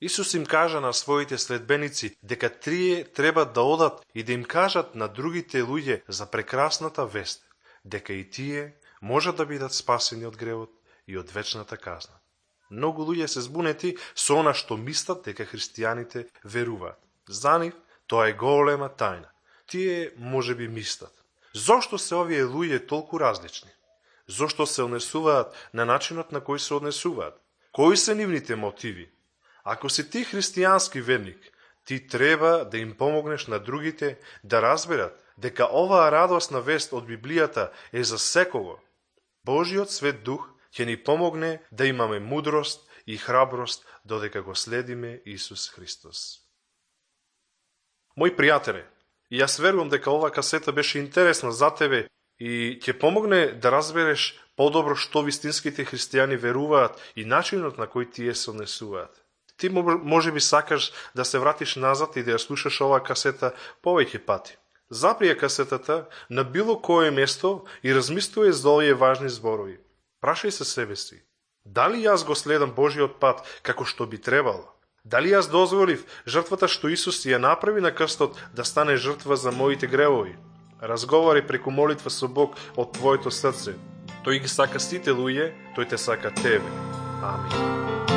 Исус им кажа на своите следбеници дека тие треба да одат и да им кажат на другите луѓе за прекрасната вест, дека и тие можат да бидат спасени од гревот и од вечната казна. Многу луѓе се збунети со она што мислат дека христијаните веруваат. За нив тоа е голема тајна. Тие можеби мислат: зошто се овие луѓе толку различни? Зошто се однесуваат на начинот на кој се однесуваат? Кои се нивните мотиви? Ако си ти христијански верник, ти треба да им помогнеш на другите да разберат дека оваа радосна вест од Библијата е за секого. Божиот Свет Дух ќе ни помогне да имаме мудрост и храброст додека го следиме Исус Христос. Мој пријателе, и јас верувам дека оваа касета беше интересна за тебе и ќе помогне да разбереш подобро што вистинските христијани веруваат и начинот на кој тие се однесуваат. Ти може би сакаш да се вратиш назад и да ја слушаш оваа касета повеќе пати. Запри ја касетата на било кое место и размислувај за овие важни зборови. Прашај се себе си: дали јас го следам Божиот пат како што би требало? Дали јас дозволив жртвата што Исус ја направи на крстот да стане жртва за моите гревови? Разговари преку молитва со Бог од твоето срце. Тој ги сака сите луѓе, тој те сака тебе. Амин.